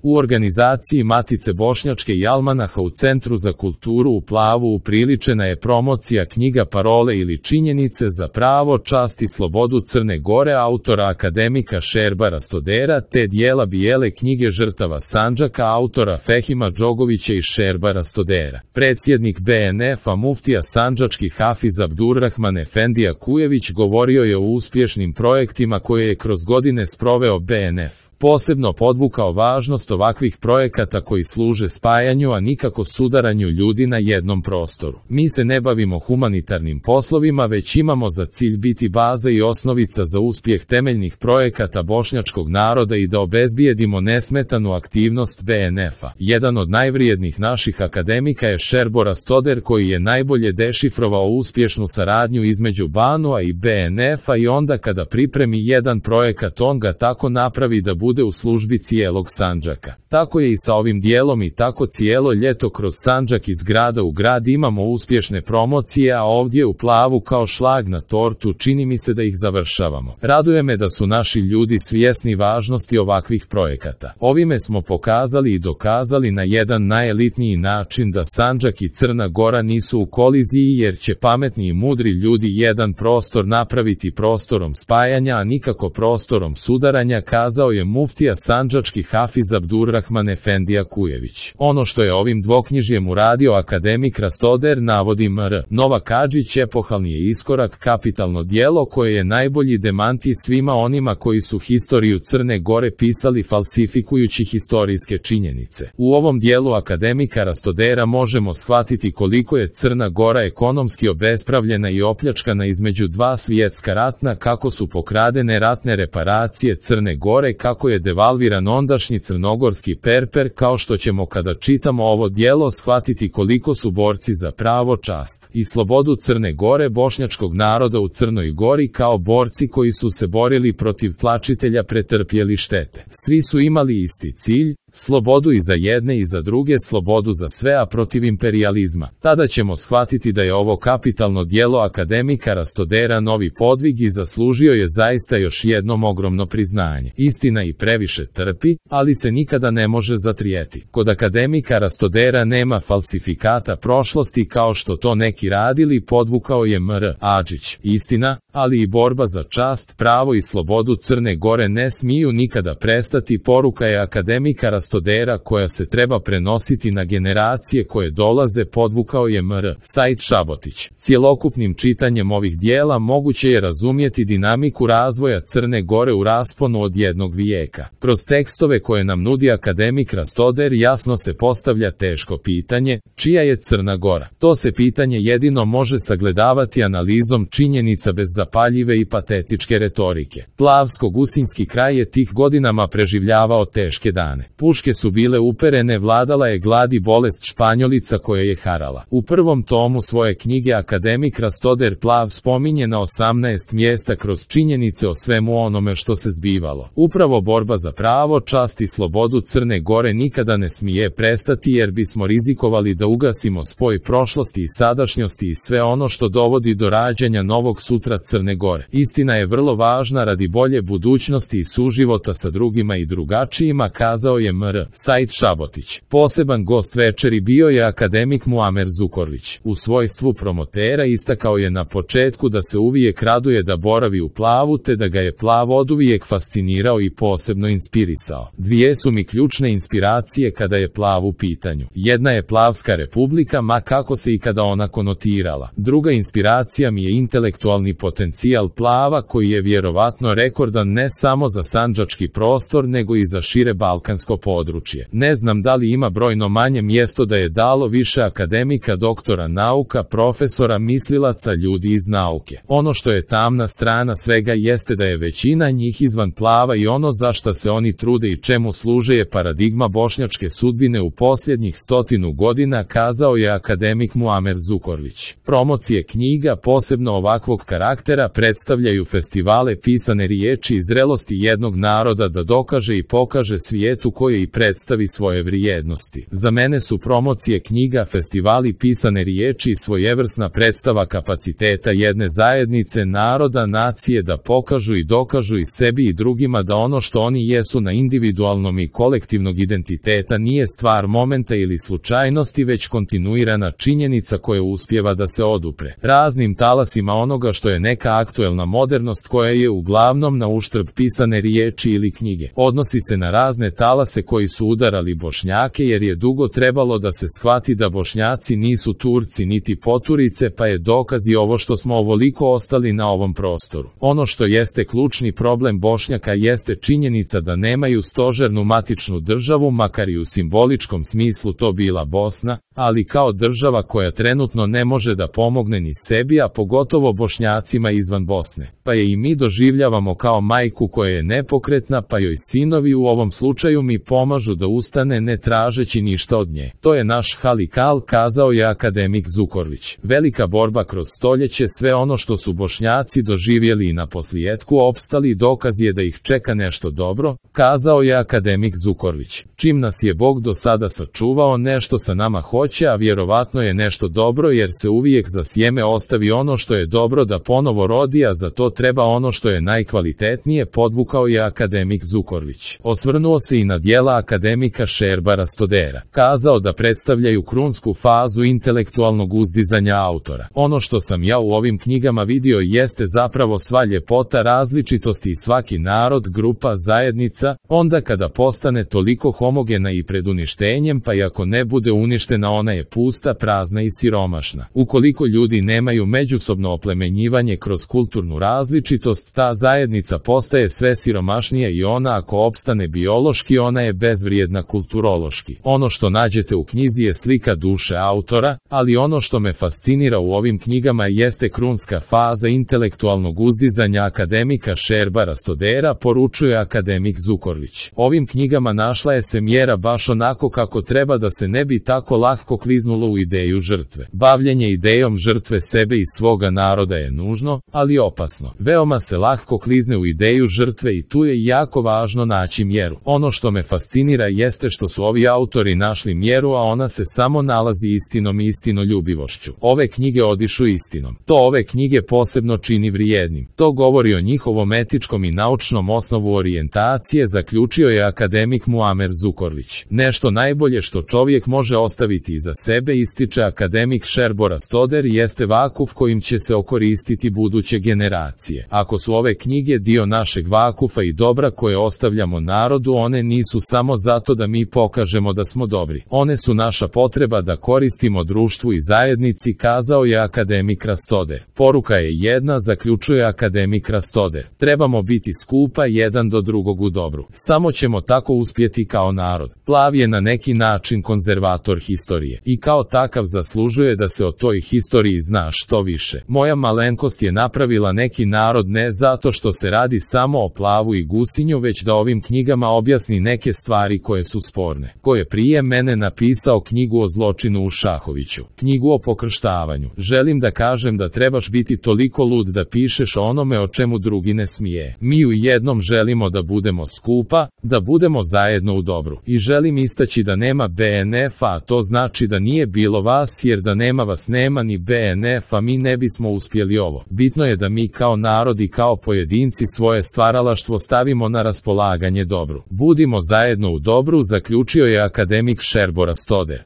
U organizaciji Matice Bošnjačke i Almanaha u Centru za kulturu u Plavu upriličena je promocija knjiga Parole ili činjenice za pravo, čast i slobodu Crne Gore autora akademika Šerba Rastodera te dijela Bijele knjige žrtava Sandžaka autora Fehima Džogovića i Šerba Rastodera. Predsjednik BNF-a muftija sandžački Hafiz Abdurrahman Efendija Kujević govorio je o uspješnim projektima koje je kroz godine sproveo BNF. Posebno podvukao važnost ovakvih projekata koji služe spajanju, a nikako sudaranju ljudi na jednom prostoru. Mi se ne bavimo humanitarnim poslovima, već imamo za cilj biti baza i osnovica za uspjeh temeljnih projekata bošnjačkog naroda i da obezbijedimo nesmetanu aktivnost BNF-a. Jedan od najvrijednijih naših akademika je Šerbo Rastoder koji je najbolje dešifrovao uspješnu saradnju između BANU-a i BNF-a i onda kada pripremi jedan projekat on ga tako napravi da bude u službi cijelog Sandžaka. Tako je i sa ovim dijelom i tako cijelo ljeto kroz Sandžak iz grada u grad imamo uspješne promocije, a ovdje u Plavu kao šlag na tortu čini mi se da ih završavamo. Raduje me da su naši ljudi svjesni važnosti ovakvih projekata. Ovime smo pokazali i dokazali na jedan najelitniji način da Sandžak i Crna Gora nisu u koliziji jer će pametni i mudri ljudi jedan prostor napraviti prostorom spajanja, a nikako prostorom sudaranja, kazao je muftija sandžački Hafiz Abdurrahman Efendija Kujević. Ono što je ovim dvoknjižjem uradio akademik Rastoder, navodi Mr. Nova Kadžić, epohalni je iskorak, kapitalno djelo koje je najbolji demanti svima onima koji su historiju Crne Gore pisali falsifikujući historijske činjenice. U ovom dijelu akademika Rastodera možemo shvatiti koliko je Crna Gora ekonomski obespravljena i opljačkana između dva svjetska ratna, kako su pokradene ratne reparacije Crne Gore, kako je devalviran ondašnji crnogorski perper, kao što ćemo kada čitamo ovo djelo shvatiti koliko su borci za pravo, čast i slobodu Crne Gore bošnjačkog naroda u Crnoj Gori kao borci koji su se borili protiv tlačitelja pretrpjeli štete. Svi su imali isti cilj, slobodu i za jedne i za druge, slobodu za sve, a protiv imperijalizma. Tada ćemo shvatiti da je ovo kapitalno djelo akademika Rastodera novi podvig i zaslužio je zaista još jednom ogromno priznanje. Istina i previše trpi, ali se nikada ne može zatrijeti. Kod akademika Rastodera nema falsifikata prošlosti kao što to neki radili, podvukao je Mr. Adžić. Istina, ali i borba za čast, pravo i slobodu Crne Gore ne smiju nikada prestati, poruka je akademika Rastodera koja se treba prenositi na generacije koje dolaze, podvukao je Mr. Said Šabotić. Cjelokupnim čitanjem ovih dijela moguće je razumjeti dinamiku razvoja Crne Gore u rasponu od jednog vijeka. Kroz tekstove koje nam nudi akademik Rastoder jasno se postavlja teško pitanje, čija je Crna Gora? To se pitanje jedino može sagledavati analizom činjenica bez zapaljive i patetičke retorike. Plavsko-gusinski kraj je tih godinama preživljavao teške dane. Puške su bile uperene, vladala je glad i bolest španjolica koja je harala. U prvom tomu svoje knjige akademik Rastoder Plav spominje na 18 mjesta kroz činjenice o svemu onome što se zbivalo. Upravo borba za pravo, čast i slobodu Crne Gore nikada ne smije prestati jer bismo rizikovali da ugasimo spoj prošlosti i sadašnjosti i sve ono što dovodi do rađanja novog sutra Crne Gore. Istina je vrlo važna radi bolje budućnosti i suživota sa drugima i drugačijima, kazao je Mr. Said Šabotić. Poseban gost večeri bio je akademik Muamer Zukorlić. U svojstvu promotera istakao je na početku da se uvijek raduje da boravi u Plavu te da ga je Plav oduvijek fascinirao i posebno inspirisao. Dvije su mi ključne inspiracije kada je Plav u pitanju. Jedna je Plavska republika, ma kako se i kada ona konotirala. Druga inspiracija mi je intelektualni potencijal Plava koji je vjerovatno rekordan ne samo za sandžački prostor nego i za šire balkansko područje. Ne znam da li ima brojno manje mjesto da je dalo više akademika, doktora nauka, profesora, mislilaca, ljudi iz nauke. Ono što je tamna strana svega jeste da je većina njih izvan Plava i ono za šta se oni trude i čemu služe je paradigma bošnjačke sudbine u posljednjih 100 godina, kazao je akademik Muamer Zukorlić. Promocije knjiga, posebno ovakvog karaktera, predstavljaju festivale pisane riječi i zrelosti jednog naroda da dokaže i pokaže svijetu koje promuje i predstavi svoje vrijednosti. Za mene su promocije knjiga, festivali pisane riječi i svojevrsna predstava kapaciteta jedne zajednice, naroda, nacije da pokažu i dokažu i sebi i drugima da ono što oni jesu na individualnom i kolektivnog identiteta nije stvar momenta ili slučajnosti, već kontinuirana činjenica koja uspijeva da se odupre raznim talasima onoga što je neka aktuelna modernost koja je uglavnom na uštrb pisane riječi ili knjige. Odnosi se na razne talase koji su udarali Bošnjake jer je dugo trebalo da se shvati da Bošnjaci nisu Turci niti poturice, pa je dokaz i ovo što smo ovoliko ostali na ovom prostoru. Ono što jeste ključni problem Bošnjaka jeste činjenica da nemaju stožernu matičnu državu, makar i u simboličkom smislu to bila Bosna, ali kao država koja trenutno ne može da pomogne ni sebi, a pogotovo Bošnjacima izvan Bosne. Pa je i mi doživljavamo kao majku koja je nepokretna, pa joj sinovi u ovom slučaju mi pomažu da ustane ne tražeći ništa od nje. To je naš halikal, kazao je akademik Zukorlić. Velika borba kroz stoljeće, sve ono što su Bošnjaci doživjeli i na posljetku opstali, dokaz je da ih čeka nešto dobro, kazao je akademik Zukorlić. Čim nas je Bog do sada sačuvao, nešto sa nama hoće, a vjerovatno je nešto dobro jer se uvijek za sjeme ostavi ono što je dobro da ponovo rodi, a za to treba ono što je najkvalitetnije, podvukao je akademik Zukorlić. Osvrnuo se i na djela akademika Šerbara Stodera. Kazao da predstavljaju krunsku fazu intelektualnog uzdizanja autora. Ono što sam ja u ovim knjigama vidio jeste zapravo sva ljepota različitosti i svaki narod, grupa, zajednica, onda kada postane toliko homogena i pred uništenjem, pa i ako ne bude uništena ona je pusta, prazna i siromašna. Ukoliko ljudi nemaju međusobno oplemenjivanje kroz kulturnu različitost, ta zajednica postaje sve siromašnija i ona ako opstane biološki, ona je bezvrijedna kulturološki. Ono što nađete u knjizi je slika duše autora, ali ono što me fascinira u ovim knjigama jeste krunska faza intelektualnog uzdizanja akademika Šerbara Stodera, poručuje akademik Zukorlić. Ovim knjigama našla je se mjera baš onako kako treba da se ne bi tako lako kliznulo u ideju žrtve. Bavljenje idejom žrtve sebe i svoga naroda je nužno, ali opasno. Veoma se lako klizne u ideju žrtve i tu je jako važno naći mjeru. Ono što me fascinira jeste što su ovi autori našli mjeru, a ona se samo nalazi istinom i istinoljubivošću. Ove knjige odišu istinom. To ove knjige posebno čini vrijednim. To govori o njihovom etičkom i naučnom osnovu orijentacije, zaključio je akademik Muamer Zukorlić. Nešto najbolje što čovjek može ostaviti iza sebe, ističe akademik Šerbora Stoder, jeste vakuf kojim će se okoristiti buduće generacije. Ako su ove knjige dio našeg vakufa i dobra koje ostavljamo narodu, one nisu samo zato da mi pokažemo da smo dobri. One su naša potreba da koristimo društvu i zajednici, kazao je akademik Rastoder. Poruka je jedna, zaključuje akademik Rastoder. Trebamo biti skupa jedan do drugog u dobru. Samo ćemo tako uspjeti kao narod. Plav je na neki način konzervator historije i kao takav zaslužuje da se o toj historiji zna što više. Moja malenkost je napravila neki narod ne zato što se radi samo o Plavu i Gusinju, već da ovim knjigama objasni neke stvari koje su sporne. Ko je prije mene napisao knjigu o zločinu u Šahoviću, knjigu o pokrštavanju. Želim da kažem da trebaš biti toliko lud da pišeš o onome o čemu drugi ne smije. Mi u jednom želimo da budemo skupa, da budemo zajedno u dobru. I želim istaći da nema BNF-a, to znači da nije bilo vas, jer da nema vas nema ni BNF-a, mi ne bismo uspjeli ovo. Bitno je da mi kao narod i kao pojedinci svoje stvaralaštvo stavimo na raspolaganje dobru. Budimo zajedno u dobru, zaključio je akademik Šerbora Stoder.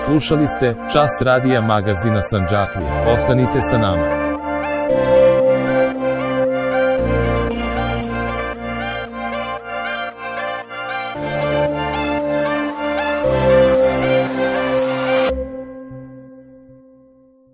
Slušali ste Čas radija magazina Sandžaklija. Ostanite sa nama.